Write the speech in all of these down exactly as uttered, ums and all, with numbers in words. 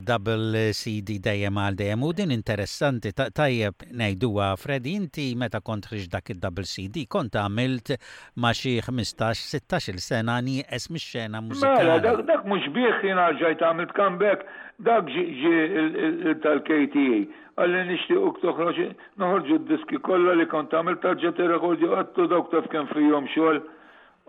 id-double C D Dejjem għal Dejjem u din interessanti, tajjeb ngħiduha, Freddy, inti meta kont ħriġt dak id-double C D kont għamilt ma' xi ħmistax, sittax-il sena nieqes mix-xena mużikali. Mela, dak, dak mhux bih jiena ġajt għamilt comeback, dak ġi tal-K T A. Qalli nixtiequk toħroġ, noħorġu d-diski kollha li kont għamilt tarġa' tirrekordja. Għedtlu dawk taf kemm fihom xogħol,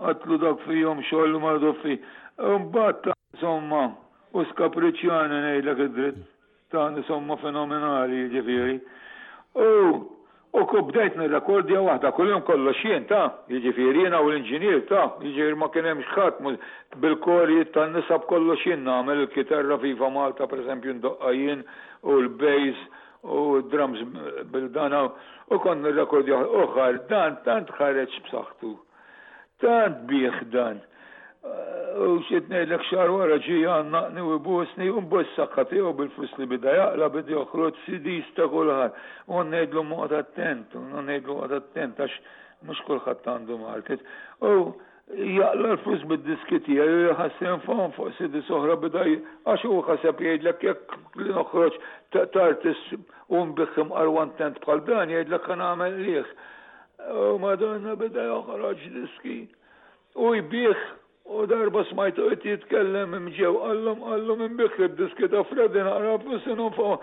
għedtlu dawk fihom xogħol u mardu fi. Mbagħad insomma, u skapriċjani, ngħidlek id-dritt, ta' insomma fenomenali ġifieri. U U ku bdejt nirrekordja waħda kuljum, kollox jien ta', jiġifieri jiena u l-inġinier ta', jiġifieri ma kien hemmx ħadd bil-korijiet tan-nisa, b'kollox jien nagħmel il-kitarra Viva Malta, pereżempju, ndoqqa jien u l-bass u drums bil-dana u kont nirrekordja uħar dan tant ħareġ b'saħħtu. Tant bih dan. U xi ngħidlek, xahar wara ġie għannaqni u jbusni u mbus saħħa tiegħu bil-flus li bida jaqla bida joħroġ C Ds ta' kulħadd. U ngħidlu oqgħod attent, u ngħidlu oqgħod attent għax mhux kulħadd għandu market. U jaqla l-flus bid-diski tiegħi u jħassem fuq fuq C Ds oħra bida, għax hu ħaseb jgħidlek jekk li noħroġ ta' artist u nbigħ imqar one tenth bħal dan, jgħidlek ħa nagħmel liħ. U madonna, bida joħroġ diski. U jbigħ. U darba smajtu qed jitkellem imġew, qallhom qallhom inbigħ id-diski ta' Freddy naqra flus fuq.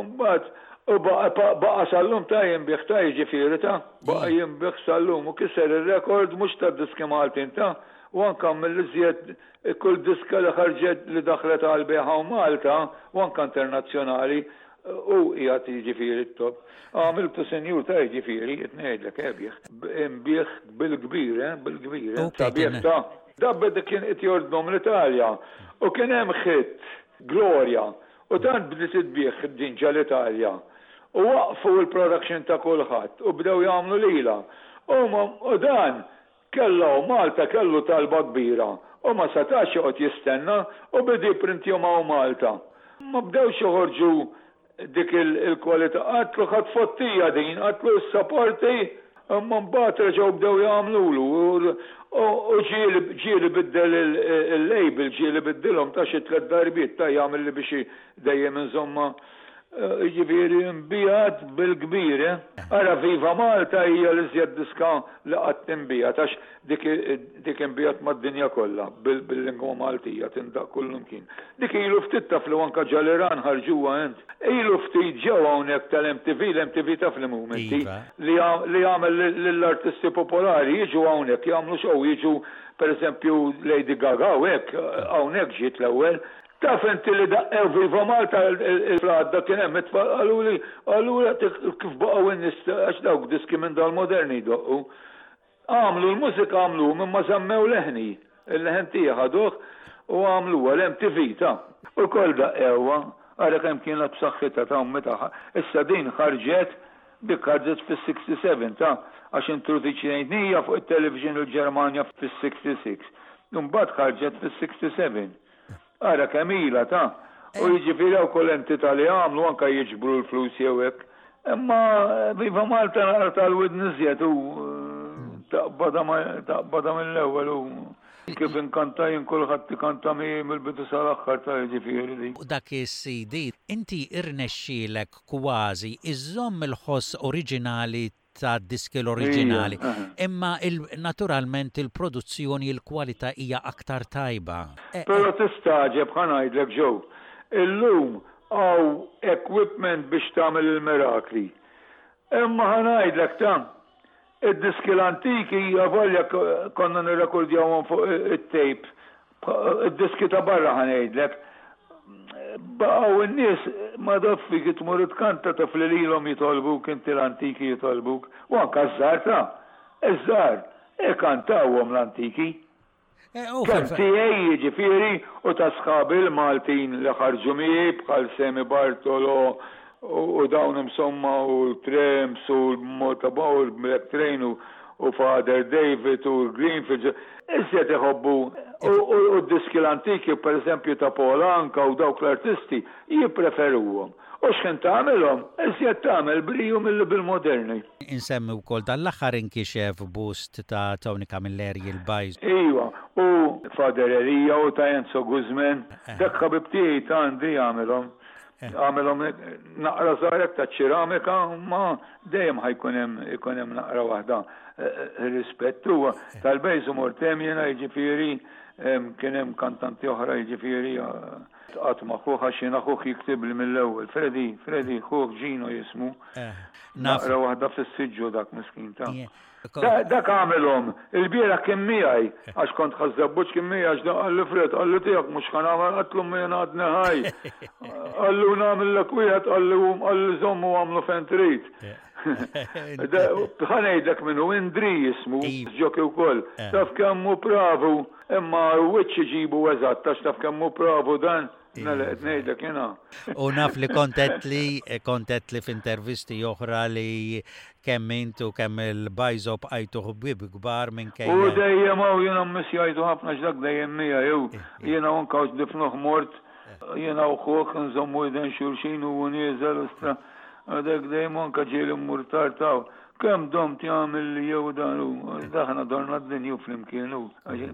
Mbagħad u baqa' sal-lum ta' jinbigħ ta', jiġifieri ta' baqa' jinbigħ sal-lum u kiser ir-rekord mhux ta' diski Maltin ta' u anka mill-iżjed kull diska li ħarġet li daħlet għal bejħa Malta u anka internazzjonali u qiegħed jiġifieri t-top. Għamiltu senjur ta', jiġifieri, qed ngħidlek ebieħ. Inbigħ bil-kbir, eh, bil-kbir. Sabiħ ta'. Dabbe kien qed jordnom l-Italja u kien hemm hit Gloria u tant bdiet tbigħ din ġa l-Italja. U waqfu l-production ta' kulħadd u bdew jagħmlu lila. U dan kellu Malta, kellu talba kbira u ma setax joqgħod jistenna u bidi printjom hawn Malta. Ma bdewx joħorġu dik il-kwalità. Għedtlu ħa tfottija din, għedtlu s-sapporti, imma mbagħad reġgħu bdew jagħmlulu. U ġieli biddel il-label, ġieli biddilhom ta' xi tliet darbiet ta' jagħmel li biex dejjem insomma, ġifieri nbiegħet bil-kbir, eh? Ara, Viva Malta hija l-iżjed diska li qatt inbiegħet għax dik inbiegħet mad-dinja kollha bil-lingwa Maltija, tindaq kullimkien. Dik ilu ftit, taf li anka ġal-Iran ħarġuha ent. Ilu ftit ġew hawnhekk tal-M T V, l-M T V taf li mumenti Iva. li jagħmel lill-artisti popolari jiġu hawnhekk jagħmlu show, jiġu per eżempju Lady Gaga u hekk, hawnhekk ġiet l-ewwel. Taf inti li daqqew Viva Malta il-fladda kien hemm it-tfal qaluli qaluli kif baqgħu n-nies, għax dawk diski minn dal-moderni jdoqqu. Għamlu l-mużika, għamlu minn ma żammew leħni. Il-leħen tiegħi ħaduh u għamlu għal-M T V ta' u kol daqqewha, ara kemm kienet b'saħħitha ta' meta issa din ħarġet, dik ħarġet fis-sitta u sittin ta' għax introduċejnija fuq it-television il-Ġermanja fis-sitta u sittin. Mbagħad ħarġet fis-sitta u sebgħin. Ara kemm ilha ta'. U jiġifieri hawn kull entità li għamlu anka jiġbru l-flus jew hekk. Imma Viva Malta naqra tal-widn iżjed u taqbada mill-ewwel u kif inkanta jien kulħadd ikanta miegħi mill-bidu sal-aħħar ta', jiġifieri di. U dak is-C D inti irnexxielek kważi iżżomm il-ħoss oriġinali ta' diski l-oriġinali. Imma naturalment il-produzzjoni, il-kwalità hija aktar tajba. E, Però tistagħġeb, ħa ngħidlek ġew. Illum hawn equipment biex tagħmel il-mirakli. Imma ħa ngħidlek ta' id-diski l-antiki avolja konna nirrekordjawhom fuq it-tape. Id-diski ta' barra, ħa ngħidlek. Baqgħu n-nies ma doffi kif tmur tkanta, taf li lilhom jitolbuk inti, l-antiki jitolbuk. U anka ż-żgħar ta' iż-żgħar ikantawhom l-antiki. E, u Kemm fil- tiegħi jiġifieri u ta' sħabi l-Maltin li ħarġu miegħi bħal Semi Bartolo u u dawn insomma u l-Trams u l-Malta u l-Black Train u u Father David u Greenfield, iżjed iħobbu u d-diski l-antiki, per eżempju ta' Paul Anka u dawk l-artisti, jippreferuhom. U x'ħin tagħmelhom, iżjed tagħmel briju mill bil-moderni. Insemmi wkoll dan l-aħħar inkixef bust ta' Tony Camilleri il-Bajż. Iva, u Father Elija u ta' Enzo Guzman, eh. dak ħabib tiegħi ta' Andri għamilhom. Eh. Għamilhom naqra żgħarek ta' ċeramika, ma dejjem ħa jkun hemm ikun hemm naqra waħda eh, rispettu tal-Bejżu mortem jiena, jiġifieri kien hemm kantanti oħra, jiġifieri qatt ma ħuħ, għax jiena ħuħ jiktib li mill-ewwel. Freddy, Freddy, ħuħ Gino jismu. Eh, naqra waħda fis-siġġu dak miskin ta'. Dak għamilhom, il-bieraħ kien miegħi, għax kont Ħaż-Żebbuġ kien miegħi, għax qalli, "Fred," qalli, "tiegħek mhux ħa nagħmel," għedtlu, "jien għadni ħaj." Qallu, "Nagħmellek wieħed," qalli, qalli "żommu, għamlu fejn trid." Ħa ngħidlek minnu, Indri jismu, ġoki wkoll. Eh. Taf kemm hu pravu, imma wiċċ iġibu eżatt, għax taf kemm hu pravu dan. Mela qed ngħidlek jiena. U naf li kontet li kontet li f'intervisti oħra li kemm intu kemm il-Bajżo bqajtu ħbieb kbar minn kejja. U dejjem hawn jiena mmissjajtu ħafna x'dak dejjem mija jew eh, eh. jiena anka difnuh mort jiena u ħuh nżommu idejn xulxin u nieżel istra dak dejjem anka ġieli mmur tartaw. Kemm domt jagħmel li jew dan u daħna dorna d-dinju flimkien u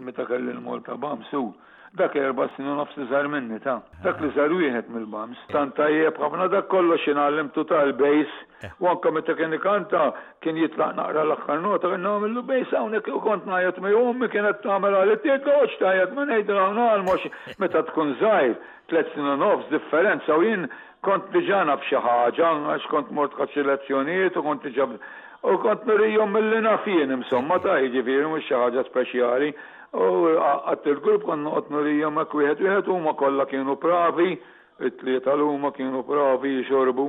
meta kelli l-Malta Bams u dak erba' snin u nofs iżgħar minni ta' dak li żar wieħed mill-Bams. Tant tajjeb ħafna dak kollox ingħallimtu tal-bass u anke meta kien ikanta kien jitlaq naqra l-aħħar nota, kien nagħmillu bass hawnhekk u kont ngħajjat miegħu, ommi kienet tagħmel għal toqgħodx tgħajjat, ma ngħidilha ngħallmu meta tkun żgħir, tliet snin u nofs differenza, u jien kont diġà naf xi ħaġa għax kont mort ħadt xi lezzjonijiet u kont diġà u kont nurijhom milli naf jien, insomma, ta' jiġifieri mhux xi ħaġa speċjali. U għadt il-grupp kont noqgħod nurijhom hekk wieħed wieħed, huma kollha kienu pravi, it-tlieta l-huma kienu pravi jixorbu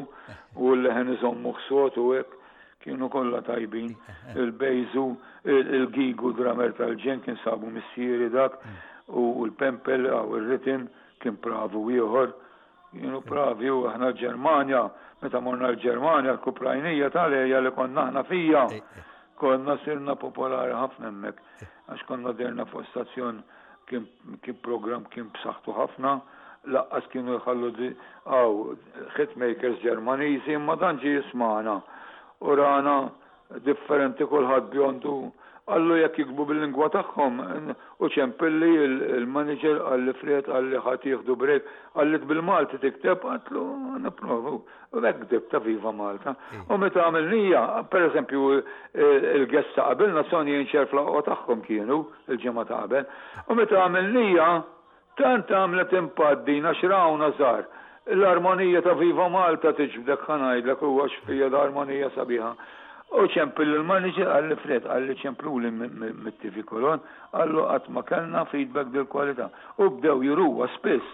u l-leħen iżommu ħsot u hekk kienu kollha tajbin. Il-Bejżu, il-Gigu drummer tal-ġen kien sabu missieri dak u l-Pempel u il-Ritim kien pravu ieħor. Kienu pravi u aħna l-Ġermanja, meta morna l-Ġermanja, l-Kuprajnija tal-erja li konna aħna fija, konna sirna popolari ħafna hemmhekk għax konna derna fuq stazzjon, kien, kien program kien b'saħħtu ħafna, lanqas kienu jħallu għaw hitmakers Ġermaniżi, imma dan ġie jismana u rana differenti, kulħadd bjondu, qallu jekk jiktbu bil-lingwa tagħhom u ċempilli il-manager, qalli, "Fred," qalli, "ħadd jieħdu break," qalli, "bil-Malti tikteb," għedtlu, "Nipprovu." U hekk ktibt ta' Viva Malta. U meta għamilnija, per eżempju, il-guest ta' qabilna Sonny and Cher fl tagħhom kienu il-ġimgħa ta' qabel. U meta għamilnija, tant għamlet impatt din għax rawna żgħar. L-armonija ta' Viva Malta tiġbdek, ħa ngħidlek, u għax fija l-armonija sabiħa. U ċempil il-manager, qalli, "Fred," qalli, "ċempluli mit-T V Cologne," qallu, "qatt ma kellna feedback dil kwalità." U bdew juruha spiss.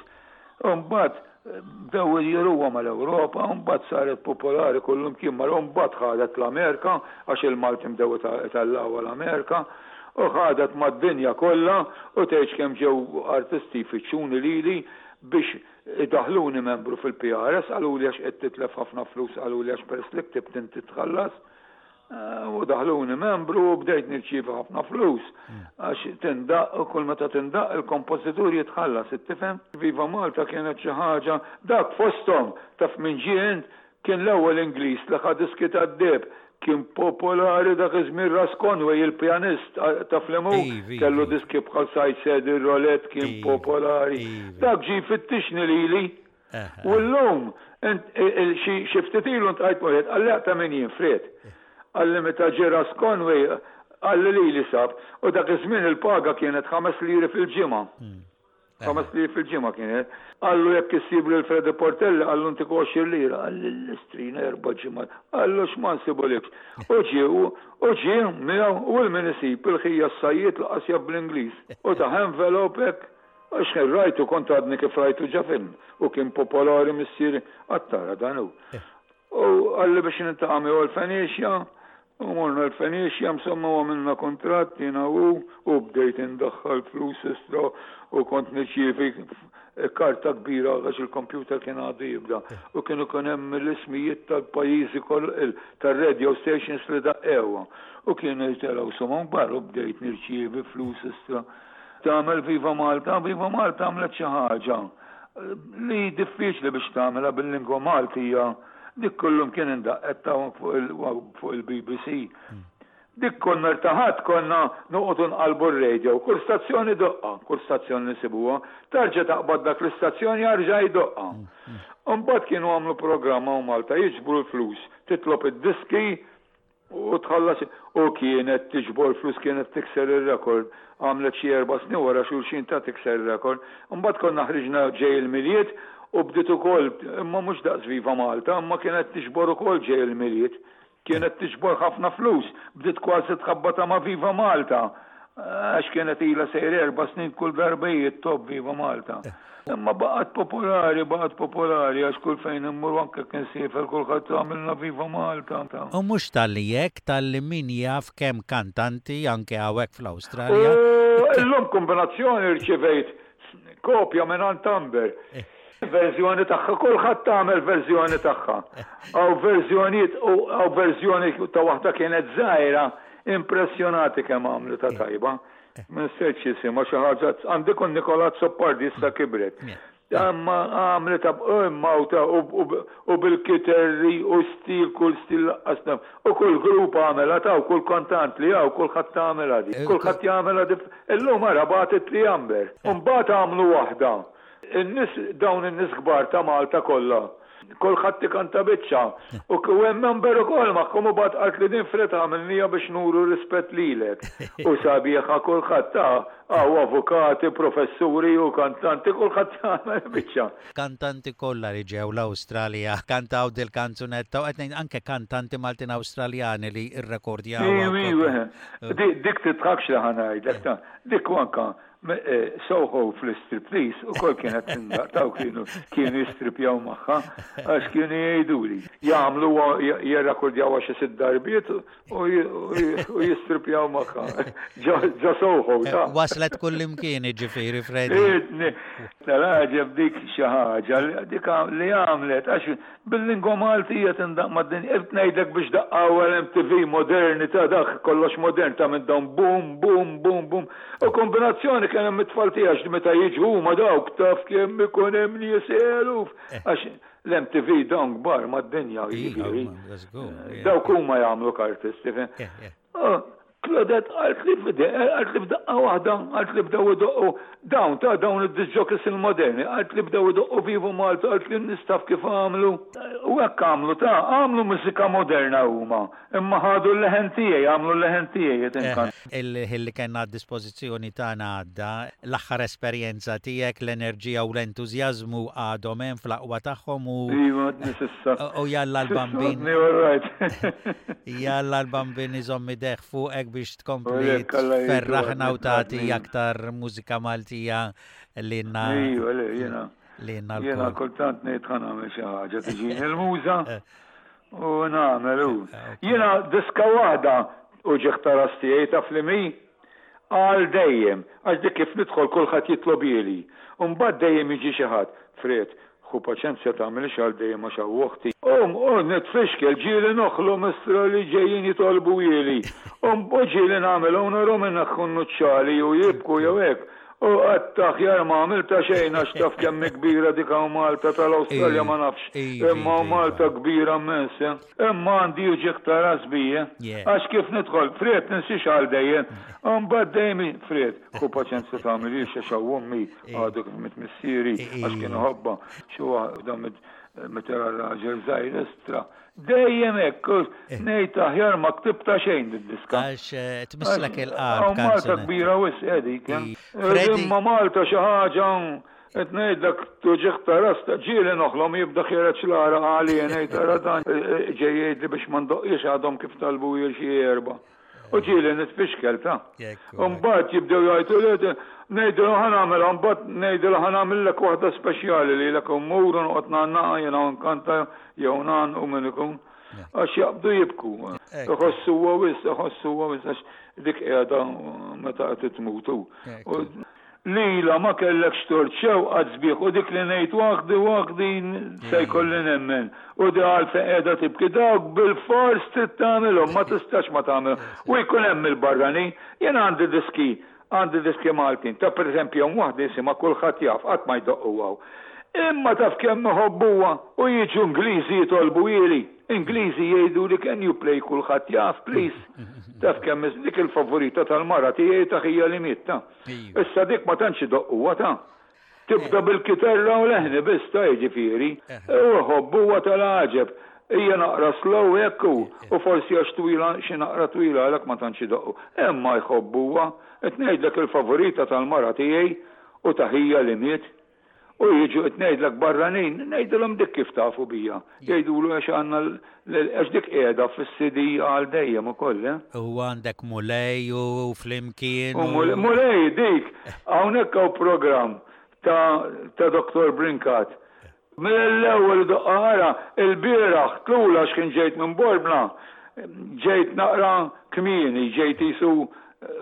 U mbagħad bdew juruha mal-Ewropa, u mbagħad saret popolari kullum kien mar, u mbagħad ħadet l-Amerika għax il-Malti bdew itellgħuha l-Amerika u ħadet mad-dinja kollha u tgħidx kemm ġew artisti jfittxuni lili biex idaħluni membru fil-P R S, qaluli għax qed titlef ħafna flus, qaluli għax peress li ktibt inti tħallas. Eh, u daħluni membru u bdejt nirċievi ħafna flus. Għax tindaq u kull meta tindaq il-kompożitur jitħallas, tifhem? Viva Malta kienet xi ħaġa, dak fosthom taf minn ġien kien l-ewwel Ingliż li ħa diski tad-deheb, kien popolari dak iż-żmien, Russ Conway il-pjanist, taf li mu kellu diski bħal Side Saddle Roulette, kien popolari. Dak ġie fittixni lili. U l-lum, xi ftit ilu ltqajt wieħed, qalli, "Ta' min jien, Fred?" Qalli, "Meta ġie Russ Conway," qalli, "li li sab." U dak iż-żmien il-paga kienet ħames liri fil-ġimgħa. Hmm. Ħames liri fil-ġimgħa kienet. Qallu, "Jekk issib lil Freddy Portelli," qallu, "ntik għoxrin lira." Qalli, "L-istrina erba' ġimgħa." Qallu, "X'ma nsibulikx." U ġie u ġie miegħu u l-min isib il-ħija s-sajjied lanqas jaf bl-Ingliż. U ta envelope hekk. Għax kien rajtu, kont għadni kif rajtu ġa film. U kien popolari missieri għattara dan hu. U qalli biex niltaqa' miegħu l-Fenicia, u morna l-Fenicia, insomma, u għamilna kontratt jiena u u bdejt indaħħal flus istra u kont nirċievi Karta kbira għax il-computer kien għadu jibda u kienu kien hemm l-ismijiet tal-pajjiżi tar-radio stations li daqqewha u kienu jtelgħu somom kbar u bdejt nirċievi flus istra. Tagħmel Viva Malta, Viva Malta għamlet xi ħaġa li diffiċli biex tagħmilha bil-lingwa Maltija, dik kullum kien indaqqet fuq il-B B C. Dik konna rtaħat, konna noqogħdu nqalbu r-radio, kull stazzjoni doqqa, kull stazzjoni nisibuha, tarġa taqbad dak l-istazzjoni jarġa' jdoqqa. Mbagħad kienu għamlu programma u Malta jiġbru l-flus, titlob id-diski u tħallas u kienet tiġbor flus, kienet tikser il-rekord, għamlet xi erba' snin wara xulxin ta' tikser il-rekord. Mbagħad konna ħriġna Ġej il-Milied u bdiet ukoll, imma mhux daqs Viva Malta, imma kienet tiġbor ukoll Ġej il-Milied. Kienet tiġbor ħafna flus, bdiet kważi tħabbata ma' Viva Malta. Għax kienet ila sejr erba' snin kull darba top Viva Malta. Imma baqgħet popolari, baqgħet popolari, għax kull fejn immur, anke kien siefer, kulħadd għamilna Viva Malta. U mhux talli hekk, talli min jaf kemm kantanti anke hawnhekk fl-Awstralja. Illum kombinazzjoni rċivejt kopja minn Amber. Eh. Verżjoni tagħha, kulħadd tagħmel verżjoni tagħha. Aw verżjonijiet u aw verżjoni ta' waħda kienet żgħira, impressjonati kemm għamlu ta' tajba. Minn seċ jisimha xi ħaġa, għandi kun Nikola Azzopardi, issa kibret. Imma għamlet imma u bil-kiterri u stil, kull stil laqqasna. U kull grupp għamela ta' u kull kontant li għaw, kulħadd għamela di. Kulħadd jagħmela di. Illum ara bagħtet li Amber. Mbagħad għamlu waħda. In-nies, dawn in-nies kbar ta' Malta kollha. Kulħadd ikanta biċċa. U hemm Amber ukoll magħhom u bagħad qalt li din Fred għamilnija biex nuru rispett lilek. U sabiħa, kulħadd ta' għaw avukati, professuri u kantanti, kulħadd jagħmel biċċa. Kantanti kollha li ġew l-Awstralja kantaw dil-kanzunetta u qed anke kantanti Maltin Awstraljani li rrekordjaw. Dik titħakx li ħa ngħidlek ta' dik anka Soho fl-striptease u kol kienet tindaq taw, kienu kienu jistripjaw magħha għax kienu jgħiduli. Jagħmlu jirrakordjaw xi sitt darbiet u jistripjaw magħha. Ġo Soho ta' Waslet kullimkien ġifieri, Freddy. Tal-għaġeb dik xi ħaġa dik li għamlet għax bil-lingwa Maltija tindaq mad-dinja. Qed ngħidlek biex daqqaw l-M T V moderni ta' dak kollox modern ta' minn dawn boom, boom, boom, boom. U kombinazzjoni kien hemm it-tfal tiegħek meta jiġu huma dawk taf kemm ikun hemm nies eluf. Għax l-M T V dawn kbar mad-dinja jiġifieri. Dawk huma jagħmlu artisti. Claudette għalt li fide, għalt li f'daqqa waħda, għalt li bdew idoqqu dawn ta' dawn id-disc jockeys il-moderni, għalt li bdew idoqqu Viva Malta, għalt li nistaf kif għamlu. U hekk għamlu ta' għamlu mużika moderna huma, imma ħadu l-leħen tiegħi, għamlu l-leħen tiegħi. Il-li kellna dispożizzjoni tagħna għadda, l-aħħar esperjenza tiegħek, l-enerġija u l-entużjażmu għadhom hemm fl-aqwa tagħhom u Iva, u jalla l-Bambin. Jalla l-Bambin iżomm idejh fuqek biex tkompli ferraħna u tagħti aktar mużika Maltija lilna. Iva, le, jiena. Lilna. Jiena kultant ngħid ħa nagħmel xi ħaġa, tiġini l-muża u nagħmel u. Jiena diska waħda u ġieħ ras tiegħi taf li mi għal dejjem, għax dik kif nidħol kulħadd jitlobieli. U mbagħad dejjem jiġi xi ħadd, "Fred, ħu paċenzja, tagħmilx għal dejjem għax hawn oħti." Um, u nitfixkel, ġieli noħlu mistra li ġejjin jitolbu jieli. Um, u ġieli nagħmel u narhom inneħħu nuċċali u jibku jew hekk. U għadt aħjar ma għamilta xejn għax taf kemm kbira dik hawn Malta tal-Awstralja, ma nafx. Imma Malta kbira immens. Imma għandi uġigħ ta' ras bija. Għax kif nidħol, "Fred, tinsiex għal dejjem." Mbagħad dejjem, "Fred, ħu paċenzja, tagħmilix għax hawn ommi għadu kif miet missieri," għax kien ħobba. Xi waħda meta raġel żgħir estra. Dejjem hekk, ngħid aħjar ma ktibta xejn id-diska. Għax tmisslek il-qalb. Malta kbira wisq dik. Imma Malta xi ħaġa qed ngħidlek tuġigħ ta' ras, ġieli noħlom jibda ħiereġ l-għaraq għalija, ngħid ara dan ġej jgħidli biex ma ndoqqix, għadhom kif talbu xi erba'. U ġieli nitfixkel ta'. Mbagħad jibdew jgħidu li ngħidu ħa nagħmel, mbagħad ngħidu ħa nagħmellek waħda speċjali li lek mmur u noqgħod ngħannaqa jiena nkanta jew nan u min ikun. Għax jaqbdu jibku. Iħossu wisq, iħossu wisq għax dik qiegħda meta qed tmutu. Lila ma kellekx tort, xewqat sbieħ, u dik li ngħid waħdi waħdi se jkolli nemmen. U di għalfejn qiegħda tibki, dawk bil-fors trid tagħmilhom, ma tistax ma tagħmilhom. U jkun hemm il-barrani, jien għandi diski, għandi diski Maltin, ta' pereżempju hemm waħda jisimha Kulħadd Jaf, qatt ma jdoqquha. Imma taf kemm iħobbuha u jiġu Ingliżi jitolbu ili. Ingliżi jgħidu li "Can you play Kulħadd Jaf, please?" Taf kemm dik il-favorita tal-mara tiegħi, ta' ħija li miet ta. Issa dik ma tantx idoqquha ta. Tibda bil-kitarra u leħni biss ta', jiġifieri. U ħobbuha tal-għaġeb. Hija naqra slow hekk u forsi għax twila, xi naqra twila, għalhekk ma tantx idoqqu. Imma jħobbuha. Qed ngħidlek il-favorita tal-mara tiegħi u ta' ħija li miet. U jiġu, qed ngħidlek, barranin, ngħidilhom dik kif tafu bija. Jgħidulu għax għandna, għax dik qiegħda fis-C D għal dejjem ukoll, eh? U għandek Mulej u Flimkien. U Mulej dik, hawnhekk hawn programm ta' ta' Doktor Brinkat. Mill-ewwel doqqa il-bieraħ tlula x'kien ġejt minn Borbna, ġejt naqra kmieni, ġejt jisu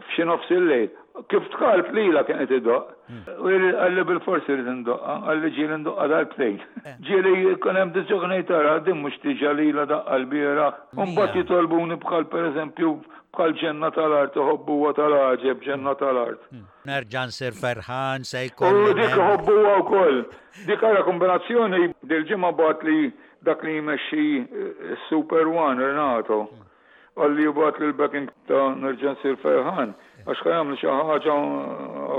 f'xi nofs il-lejl. Kif dħalt lila kien qed idoqq. U qalli bil-forsi rrid indoqqa, qalli ġieli ndoqqa darbtejn. Ġieli jkun hemm diġà tara din mhux diġà lila daqqa l-bieraħ. U mbagħad jitolbuni bħal pereżempju bħal Ġenna tal-Art, iħobbuha tal-għaġeb Ġenna tal-Art. Nerġa' nsir ferħan se jkolli. U dik iħobbuha wkoll. Dik ara kombinazzjoni, dil-ġimgħa bagħat li dak li jmexxi Super One, Renato. Qalli jibgħat li l-backing ta' Nerġa' nsir ferħan. Għax ħa jagħmlu xi ħaġa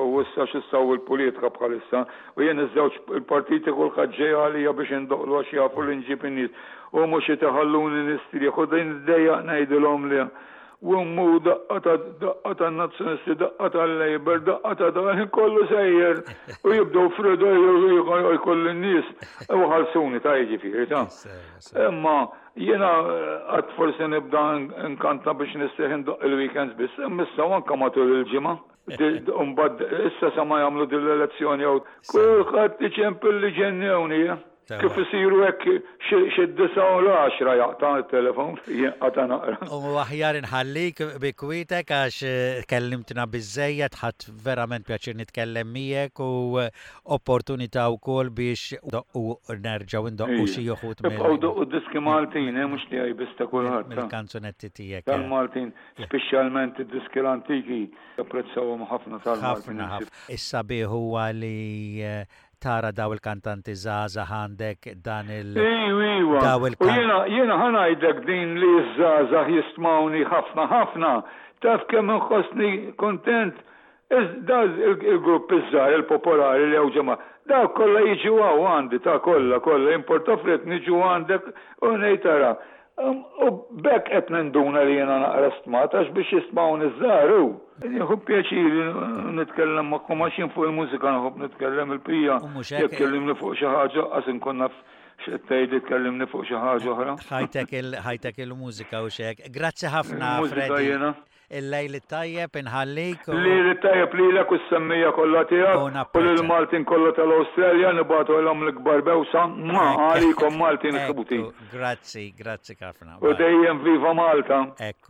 u issa x'issaw il-politika bħalissa u jien iż-żewġ il-partiti kulħadd ġej għalija biex indoqqlu għax jafu li nġib in-nies u mhux itaħalluni nistrieħ u din dejjaq ngħidilhom li u mu daqqa ta' daqqa ta' nazzjonisti, daqqa ta' Labour, daqqa ta' dan kollu sejjer u jibdew fridu jkollu n-nies u ħalsuni ta', jiġifieri ta'. Imma jiena għad forsi nibda nkanta biex nistrieħ indoqq il-weekends biss, imma issa anka matul il-ġimgħa. Mbagħad issa sa ma jagħmlu din l-elezzjoni jew kulħadd iċempel li ġennewni. Kif isiru hekk xi disgħa u l-għaxra jaqta' il-telefon, jinqata' naqra. U aħjar inħallik bi kwietek għax eh, kellimtna biżejjed, ħadt verament pjaċir nitkellem miegħek u eh, opportunità wkoll biex u nerġgħu ndoqqu xi uħud. Ibqgħu doqqu diski Maltin, eh, mhux tiegħi biss, ta' kulħadd. Mill-kanzunetti tiegħek. Tal-Maltin, speċjalment id-diski l-antiki, apprezzawhom ħafna tal-Maltin. Ħafna ħafna. Issa bih huwa li tara daw il-kantanti żgħażagħ għandek dan il- Iwa, iwa. Daw il U jiena jiena ħa ngħidlek din li ż-żgħażagħ jistmawni ħafna ħafna. Taf kemm inħossni kontent. Da il-grupp iż-żgħar il-popolari li hawn ġemgħa. Dawk kollha jiġu hawn għandi ta' kollha kollha importa frit niġu għandek u ngħid tara. U bekk qed ninduna li jiena naqra stmat għax biex jistmawni ż-żgħar hu. Nieħu pjaċir nitkellem magħkom għax jien fuq il-mużika nħobb nitkellem il-pija. U mhux hekk- Jekk kellimni fuq xi ħaġa qas inkun naf x'qed tgħidli, tkellimni fuq xi ħaġa oħra. Ħajtek il- ħajtek il-mużika u xek. Grazzi ħafna, Il-mużika Freddy. jiena. Il-lejl it-tajjeb inħallik. u- Li li tajjeb lilek u s-semmiegħa kollha U tiegħek u napprezza. lill-Maltin kollha tal-Awstralja nibagħtu l l-ikbar bewsa ma għalikom Maltin Ekku, ħuti. Grazzi, grazzi ħafna. U dejjem viva Malta. Ekku.